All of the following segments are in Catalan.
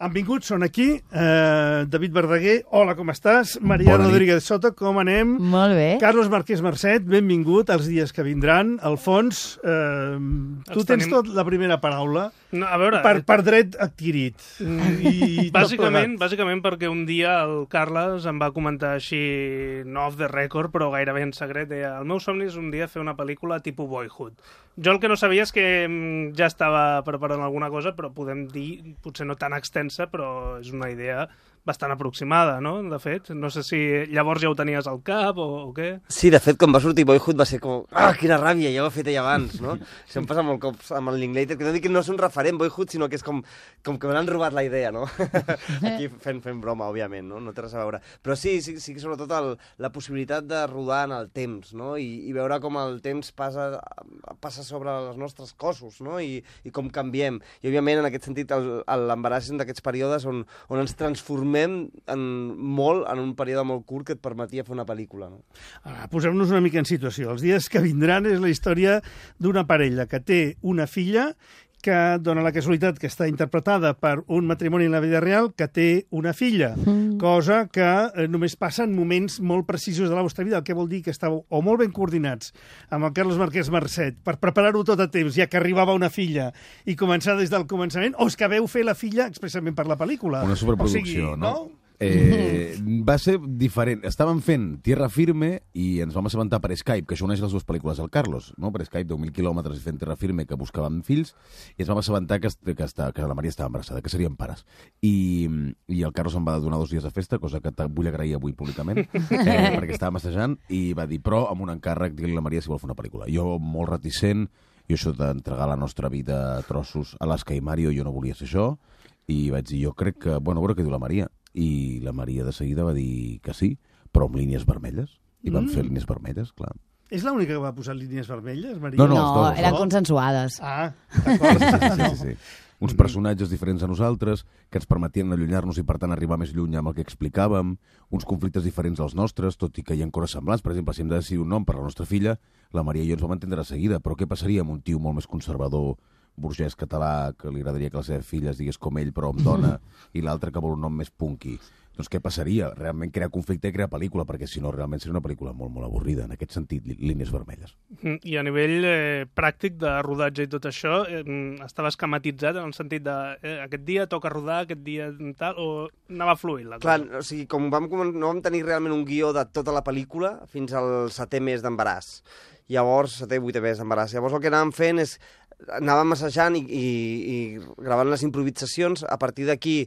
Han vingut, són aquí, David Verdaguer, hola, com estàs? Maria Rodríguez Soto, com anem? Molt bé. Carlos Marquès Marcet, benvingut als dies que vindran. Alfons, tu tens tot la primera paraula, no, a veure, per dret adquirit. Bàsicament perquè un dia el Carles em va comentar així, no off the record, però gairebé en secret, deia, el meu somni és un dia fer una pel·lícula tipus Boyhood. Jo el que no sabia és que ja estava preparant alguna cosa, però podem dir, potser no tan extensa, però és una idea bastant aproximada, no?, de fet. No sé si llavors ja ho tenies al cap o què. Sí, de fet, quan va sortir Boyhood va ser com... Ah, quina ràbia, ja ho he fet ella abans, no? Això em passa molt cops amb el Linklater, que no dic que no és un referent Boyhood, sinó que és com que me n'han robat la idea, no? Aquí fent broma, òbviament, no? No té res a veure. Però sí que sobretot la possibilitat de rodar en el temps, no? I veure com el temps passa sobre els nostres cossos, no? I com canviem. I, òbviament, en aquest sentit, l'embaràs és un d'aquests períodes on ens transformem molt en un període molt curt que et permetia fer una pel·lícula. No? Posem-nos una mica en situació. Els dies que vindran és la història d'una parella que té una filla que dona la casualitat que està interpretada per un matrimoni en la vida real que té una filla, cosa que només passa en moments molt precisos de la vostra vida, el que vol dir que estàveu o molt ben coordinats amb el Carlos Marquès Marcet per preparar-ho tot a temps, ja que arribava una filla i començar des del començament, o és que veu fer la filla expressament per la pel·lícula. Una superproducció, no? Va ser diferent. Estàvem fent Tierra Firme i ens vam assabentar per Skype, que això uneix les dues pel·lícules del Carlos, no? Per Skype, 10.000 quilòmetres fent Tierra Firme, que buscàvem fills, i ens vam assabentar que la Maria estava embarassada, que serien pares. I el Carlos em va donar 2 dies de festa, cosa que vull agrair avui públicament, perquè estàvem assajant, i va dir, però amb un encàrrec, dir-li a la Maria si vol fer una pel·lícula. Jo, molt reticent, i això d'entregar la nostra vida a trossos a l'Asca i Mario, jo no volia ser això, i vaig dir, jo crec que, a veure què diu la Maria. I la Maria de seguida va dir que sí, però amb línies vermelles. I vam fer línies vermelles, clar. És l'única que va posar línies vermelles, Maria? No, eren consensuades. Ah, d'acord. Sí. Uns personatges diferents a nosaltres, que ens permetien allunyar-nos i, per tant, arribar més lluny amb el que explicàvem, uns conflictes diferents als nostres, tot i que hi ha coses semblants. Per exemple, si hem de decidir un nom per a la nostra filla, la Maria i jo ens vam entendre de seguida, però què passaria amb un tio molt més conservador, burgès català, que li agradaria que la seva filla es digués com ell, però amb dona, i l'altre que vol un nom més punky? Doncs què passaria? Realment crear conflicte i crear pel·lícula, perquè si no realment seria una pel·lícula molt, molt avorrida, en aquest sentit, línies vermelles. I a nivell pràctic de rodatge i tot això, estava esquematitzat en el sentit de aquest dia toca rodar, aquest dia tal, o anava fluint la cosa? Clar, o sigui, com no vam tenir realment un guió de tota la pel·lícula fins al 7è mes d'embaràs. Llavors, 7è, 8è mes d'embaràs. Llavors el que anàvem fent és anàvem assajant i gravant les improvisacions. A partir d'aquí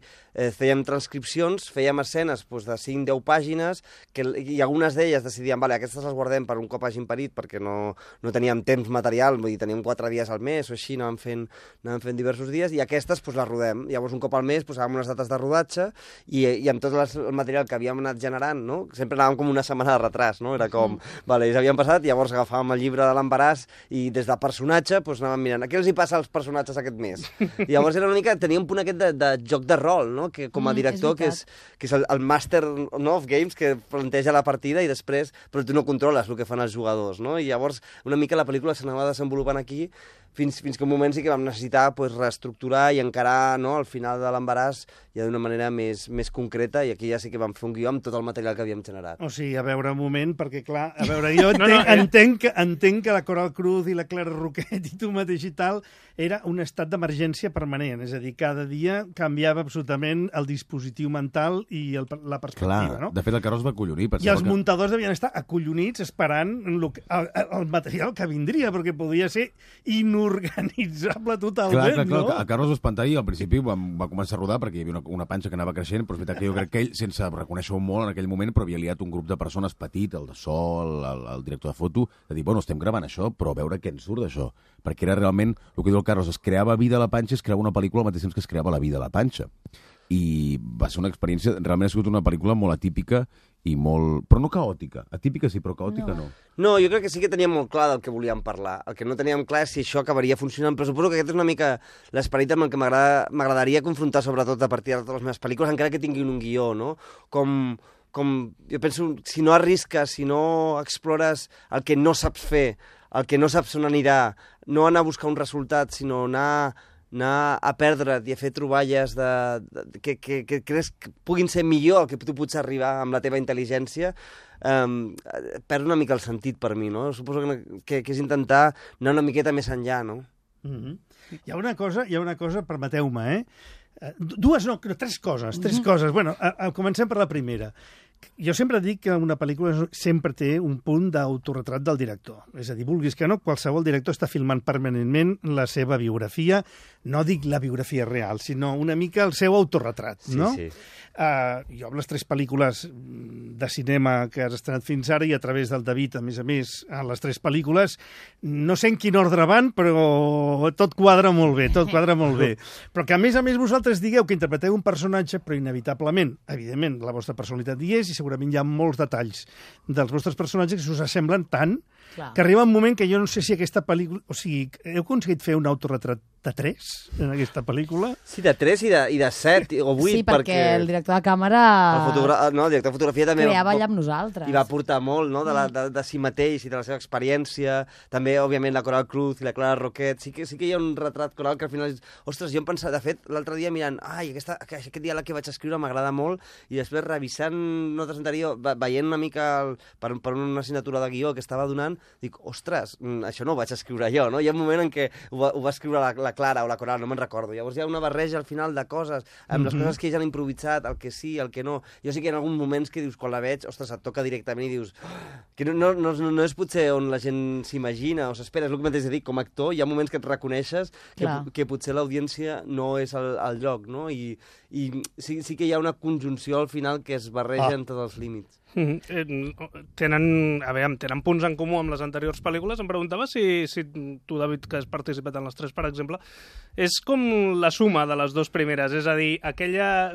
fèiem transcripcions, fèiem escenes de 5-10 pàgines, i algunes d'elles decidíem, vale, aquestes les guardem per un cop hagin parit, perquè no teníem temps material, vull dir, teníem 4 dies al mes o així, anàvem fent diversos dies, i aquestes les rodem. Llavors, un cop al mes, posàvem unes dates de rodatge, i amb tot el material que havíem anat generant, no? Sempre anàvem com una setmana de retras, no? Era com, vale, ja havíem passat, llavors agafàvem el llibre de l'embaràs, i des del personatge anàvem mirant, què els hi passa als personatges aquest mes? I llavors era una mica, tenia un punt aquest de joc de rol, no? Que com a director, que és el master of games, que planteja la partida i després, però tu no controles el que fan els jugadors, no? I llavors una mica la pel·lícula s'anava desenvolupant aquí fins que un moment sí que vam necessitar reestructurar i encarar, no, al final de l'embaràs ja d'una manera més concreta, i aquí ja sí que vam fer un guió amb tot el material que havíem generat. O sigui, a veure, un moment, perquè clar, a veure, jo entenc que la Coral Cruz i la Clara Roquet i tu mateix i tal era un estat d'emergència permanent, és a dir, cada dia canviava absolutament el dispositiu mental i la perspectiva, no? De fet, el Carlos va acollonir. I els muntadors devien estar acollonits esperant el material que vindria, perquè podia ser inorganitzable totalment, clar, no? El Carlos va espantar i al principi va començar a rodar perquè hi havia una panxa que anava creixent, però és veritat que jo crec que ell, sense reconèixer-ho molt en aquell moment, però havia liat un grup de persones petit, el de so, el director de foto, de dir, bueno, estem gravant això, però a veure què ens surt d'això. Perquè era realment, el que diu el Carlos, es creava vida a la panxa, es creava una pel·lícula al mateix temps que es creava la vida a la panxa. I va ser una experiència, realment ha sigut una pel·lícula molt atípica i molt... però no caòtica. Atípica sí, però caòtica no. No, jo crec que sí que teníem molt clar del que volíem parlar. El que no teníem clar és si això acabaria funcionant, però suposo que aquest és una mica l'esperit amb el que m'agradaria confrontar, sobretot a partir de totes les meves pel·lícules, encara que tinguin un guió, no? Com jo penso, si no arrisques, si no explores el que no saps fer, el que no saps on anirà, no anar a buscar un resultat, sinó anar anar a perdre't i a fer troballes que creus que puguin ser millor el que tu pots arribar amb la teva intel·ligència, perd una mica el sentit per mi, no? Suposo que és intentar anar una miqueta més enllà, no? Hi ha una cosa, permeteu-me, tres coses. Bueno, comencem per la primera. Jo sempre dic que una pel·lícula sempre té un punt d'autoretrat del director. És a dir, vulguis que no, qualsevol director està filmant permanentment la seva biografia, no dic la biografia real, sinó una mica el seu autorretrat, no? Sí. Jo amb les 3 pel·lícules de cinema que has estrenat fins ara i a través del David, a més, a les 3 pel·lícules, no sé en quin ordre van, però tot quadra molt bé, Però que a més vosaltres digueu que interpreteu un personatge, però inevitablement, evidentment, la vostra personalitat hi és i segurament hi ha molts detalls dels vostres personatges que us assemblen tant que arriba un moment que jo no sé si aquesta pel·lícula... O sigui, heu aconseguit fer un autorretrat de 3 en aquesta pel·lícula? Sí, de 3 i de 7 o 8. Sí, perquè el director de càmera... El director de fotografia també... Creava allà amb nosaltres. I va aportar molt, no?, de si mateix i de la seva experiència. També, òbviament, la Coral Cruz i la Clara Roquet. Sí que hi ha un retrat coral que al final... Ostres, jo em pensava... De fet, l'altre dia mirant... Aquest diàleg que vaig escriure m'agrada molt i després revisant notes anteriors, veient una mica per una assignatura de guió que estava donant, dic, ostres, això no ho vaig escriure jo, no? Hi ha un moment en què ho va escriure la Clara o la Coral, no me'n recordo. Llavors hi ha una barreja al final de coses, amb les coses que ells han improvisat, el que sí, el que no. Jo sí que hi ha alguns moments que dius, quan la veig, ostres, et toca directament i dius que no és potser on la gent s'imagina o s'espera, és el que mateix dic, com a actor hi ha moments que et reconeixes que potser l'audiència no és el lloc, no? I sí que hi ha una conjunció al final que es barregen tots els límits. Tenen punts en comú amb les anteriors pel·lícules. Em preguntava si tu, David, que has participat en les 3, per exemple, és com la suma de les 2 primeres, és a dir, aquella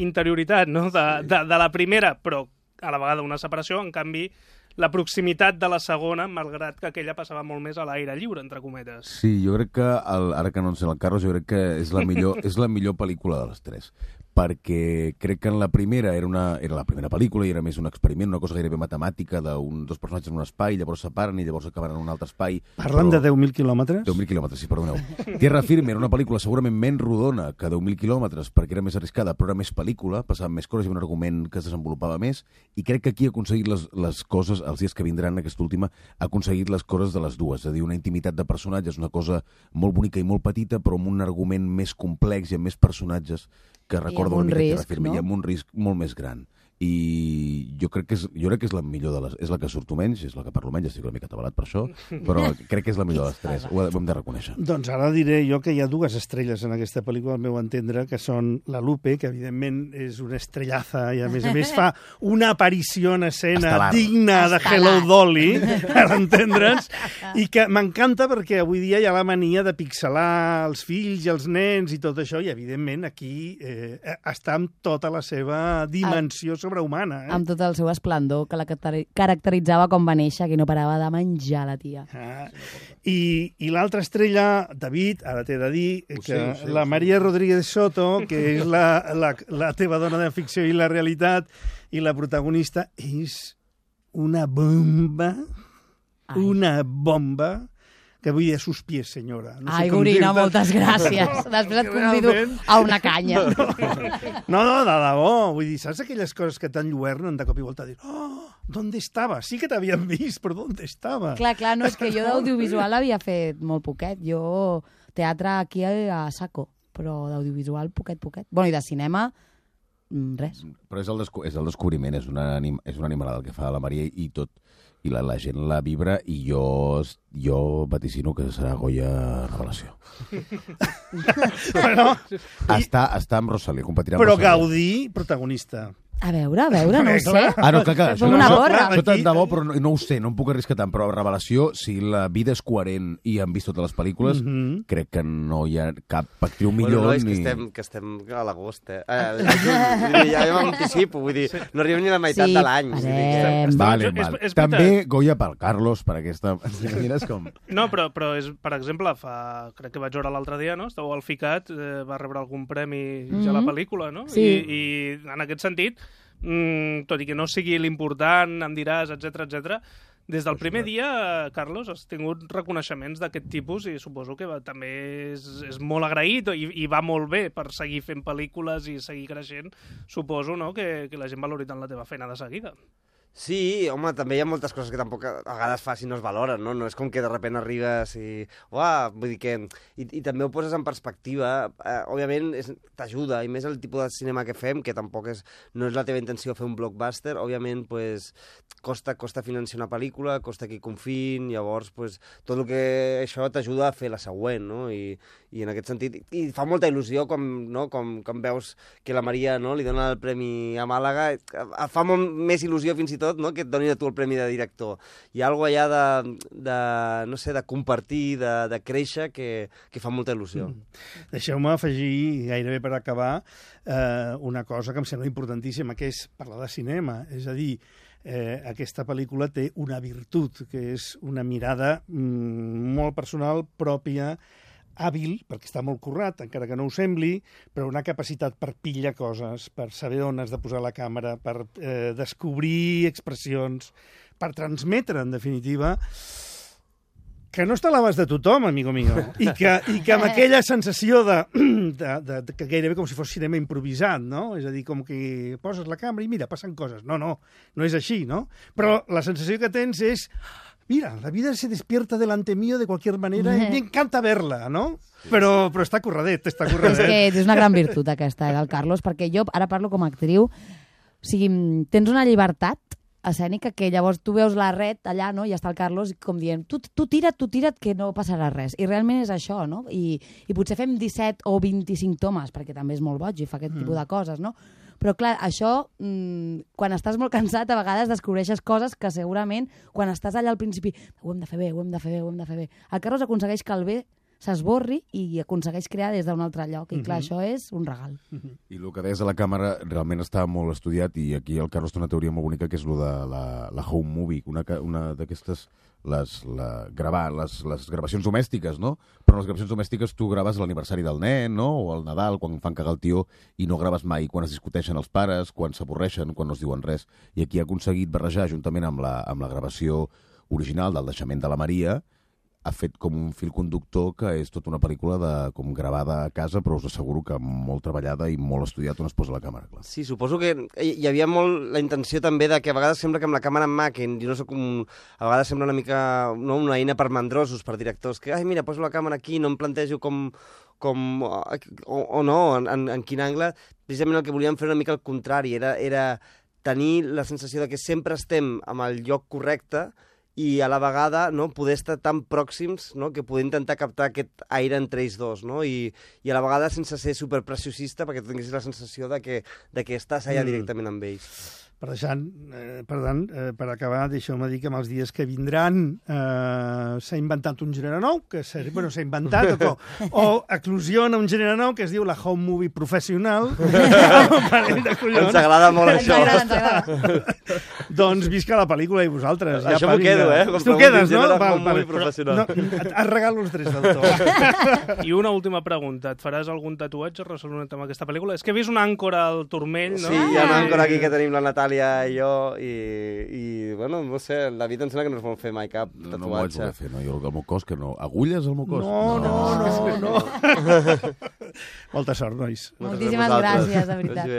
interioritat, no?, de la primera, però a la vegada una separació, en canvi la proximitat de la segona, malgrat que aquella passava molt més a l'aire lliure, entre cometes. Sí, jo crec que, ara que no en sé el Carlos, jo crec que és la millor pel·lícula de les 3. Perquè crec que en la primera era la primera pel·lícula i era més un experiment, una cosa gairebé matemàtica dos personatges en un espai, llavors separen i llavors acaben en un altre espai. Parlen de 10.000 quilòmetres? 10.000 quilòmetres, sí, perdoneu. Tierra Firme era una pel·lícula segurament menys rodona que 10.000 quilòmetres perquè era més arriscada, però era més pel·lícula, passaven més coses i un argument que es desenvolupava més, i crec que aquí ha aconseguit les coses, els dies que vindran, aquesta última, ha aconseguit les coses de les dues, és a dir, una intimitat de personatges, una cosa molt bonica i molt petita, però amb un argument més complex i amb més personatges que recorda una mica Tierra Firme, i amb un risc molt més gran. I jo crec que és la millor de les... És la que surto menys, és la que parlo menys, estic una mica atabalat per això, però crec que és la millor de les 3, ho hem de reconèixer. Doncs ara diré jo que hi ha 2 estrelles en aquesta pel·lícula, al meu entendre, que són la Lupe, que evidentment és una estrellaza i a més fa una aparició en escena digna de Hello Dolly, per entendre'ns, i que m'encanta perquè avui dia hi ha la mania de pixelar els fills i els nens i tot això, i evidentment aquí està amb tota la seva dimensió sobrehumana. Amb tot el seu esplendor, que la caracteritzava com va néixer, que no parava de menjar la tia. I l'altra estrella, David, ara t'he de dir que la Maria Rodríguez Soto, que és la teva dona de ficció i la realitat, i la protagonista és una bomba, que vull dir a sus pies, senyora. Ai, Gorina, moltes gràcies. Després et convido a una canya. No, de debò. Vull dir, saps aquelles coses que t'enlluernen de cop i volta a dir, ¿dónde estava? Sí que t'havien vist, però ¿dónde estava? Clar, no, és que jo d'audiovisual havia fet molt poquet. Jo teatre aquí a saco, però d'audiovisual poquet. Bueno, i de cinema, res. Però és el descobriment, és una animalada el que fa la Maria i tot. I la gent la vibra i jo vaticino que serà Goya Revelació. Està amb Rosalía, competirà amb Rosalía. Però Gaudí, protagonista. A veure, no ho sé. No, clar. Fem una borra. Això tant de bo, però no ho sé, no em puc arriscar tant. Però Revelació, si la vida és coherent i han vist totes les pel·lícules, crec que no hi ha cap actriu millor. No, és que estem a l'agost, ja m'anticipo, vull dir, no arribem ni a la meitat de l'any. Vale. També Goya pel Carlos, per aquesta... No, però per exemple, crec que vaig veure l'altre dia, no? Esteu al FICAT, va rebre algun premi ja a la pel·lícula, no? I en aquest sentit, tot i que no sigui l'important, em diràs, etc, Des del primer dia, Carlos, has tingut reconeixements d'aquest tipus i suposo que també és molt agraït i va molt bé per seguir fent pel·lícules i seguir creixent. Suposo, no?, que la gent valori tant la teva feina de seguida. Sí, home, també hi ha moltes coses que tampoc a vegades fas i no es valoren, no? No és com que de sobte arribes i... Uah, vull dir que... I també ho poses en perspectiva. Òbviament t'ajuda, i més el tipus de cinema que fem, que tampoc no és la teva intenció fer un blockbuster, òbviament pues, costa financiar una pel·lícula, costa que hi confiïn, llavors pues, tot el que això t'ajuda a fer la següent, no? I en aquest sentit... I fa molta il·lusió com veus que la Maria, no?, li dona el premi a Màlaga. Fa més il·lusió fins i tot, no?, que et donin a tu el premi de director. Hi ha alguna cosa allà no sé, de compartir, de créixer, que fa molta il·lusió. Deixeu-me afegir, gairebé per acabar, una cosa que em sembla importantíssima, que és parlar de cinema. És a dir, aquesta pel·lícula té una virtut, que és una mirada molt personal, pròpia, hàbil, perquè està molt currat, encara que no ho sembli, però una capacitat per pillar coses, per saber on has de posar la càmera, per descobrir expressions, per transmetre, en definitiva, que no està a l'abast de tothom, amigo mío, i que amb aquella sensació que gairebé com si fos cinema improvisat, no? És a dir, com que poses la càmera i mira, passen coses. No és així, no? Però la sensació que tens és... Mira, la vida se despierta delante mío de cualquier manera y me encanta verla, ¿no? Però està curradet, està curradet. És que és una gran virtut aquesta, del Carlos, perquè jo ara parlo com a actriu, o sigui, tens una llibertat escènica que llavors tu veus la red allà, no?, i està el Carlos com dient, tu tira't, que no passarà res. I realment és això, no? I potser fem 17 o 25 tomes, perquè també és molt boig i fa aquest tipus de coses, no? Però, clar, això, quan estàs molt cansat, a vegades descobreixes coses que segurament, quan estàs allà al principi, ho hem de fer bé. El Carlos aconsegueix que el bé s'esborri i aconsegueix crear des d'un altre lloc. I, clar, això és un regal. I el que deies de la càmera realment està molt estudiat i aquí el Carlos té una teoria molt bonica que és el de la home movie, una d'aquestes... gravar les gravacions domèstiques, no? Però les gravacions domèstiques tu graves l'aniversari del nen, no? O el Nadal, quan fan cagar el tió, i no graves mai quan es discuteixen els pares, quan s'avorreixen, quan no es diuen res. I aquí ha aconseguit barrejar, juntament amb la gravació original del naixement de la Maria, ha fet com un fil conductor que és tota una pel·lícula com gravada a casa, però us asseguro que molt treballada i molt estudiat on es posa la càmera. Clar. Sí, suposo que hi havia molt la intenció també de que a vegades sembla que amb la càmera en mà, que jo no soc a vegades sembla una mica una eina per mandrosos, per directors, que, mira, poso la càmera aquí, no em plantejo o no, en quin angle. Precisament el que volíem fer una mica al contrari, era tenir la sensació de que sempre estem en el lloc correcte i a la vegada poder estar tan pròxims que poder intentar captar aquest aire entre ells dos, no? I a la vegada sense ser superpreciosista perquè tu tinguessis la sensació de que estàs allà directament amb ells. Per tant, per acabar, deixeu-me dir que amb els dies que vindran s'ha inventat un gènere nou, s'ha inventat o eclosiona un gènere nou que es diu la home movie professional. Ens agrada molt això. Ens agrada. Doncs visca la pel·lícula i vosaltres. Això m'ho quedo, Tu quedes, no? Home movie professional. Et regalo els drets d'autor. I una última pregunta. Et faràs algun tatuatge relacionat amb aquesta pel·lícula? És que he vist una àncora al turmell, no? Sí, hi ha una àncora aquí que tenim la Natàlia i jo, i bueno, no sé, la vida em sembla que no es vol fer mai cap tatuatge. No m'ho vaig voler fer, no? Jo el meu cos, que no. Agulles al meu cos? No. Molta sort, nois. Moltíssimes gràcies, de veritat.